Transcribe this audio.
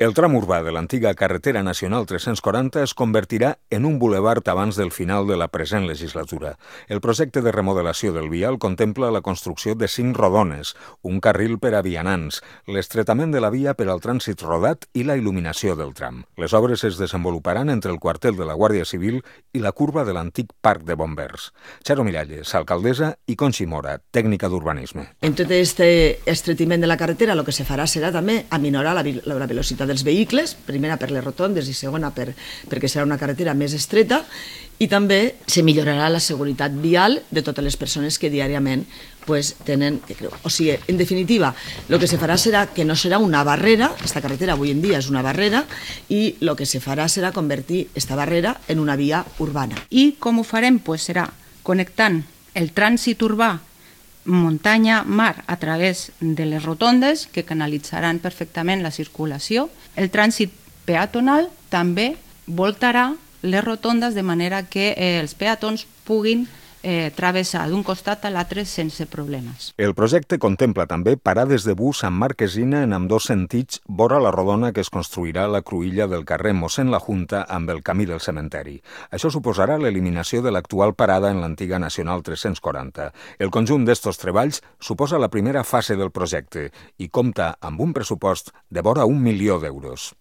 El tram urbà de l'antiga carretera nacional 340 es convertirà en un bulevard abans del final de la present legislatura. El projecte de remodelació del vial contempla la construcció de 5 rodones, un carril per a vianants, l'estretament de la via per al trànsit rodat i la il·luminació del tram. Les obres es desenvoluparan entre el quartel de la Guàrdia Civil i la curva de l'antic parc de bombers. Charo Miralles, alcaldessa, i Conxi Mora, tècnica d'urbanisme. En tot este estretiment de la carretera el que se farà serà també aminorar la velocitat dels vehicles, primera per les rotondes i segona perquè serà una carretera més estreta, i també se millorarà la seguretat vial de totes les persones que diàriament tenen que creuar. O sigui, en definitiva, el que se farà serà que no serà una barrera, esta carretera avui en dia és una barrera, i el que se farà serà convertir esta barrera en una via urbana. I com ho farem? Serà connectant el trànsit urbà muntanya-mar a través de les rotondes que canalitzaran perfectament la circulació. El trànsit peatonal també voltarà les rotondes de manera que els peatons puguin travessar d'un costat a l'altre sense problemes. El projecte contempla també parades de bus amb marquesina en ambdós sentits vora la rodona que es construirà a la cruïlla del carrer Mossèn la Junta amb el camí del cementeri. Això suposarà l'eliminació de l'actual parada en l'antiga Nacional 340. El conjunt d'estos treballs suposa la primera fase del projecte i compta amb un pressupost de vora 1 milió d'euros.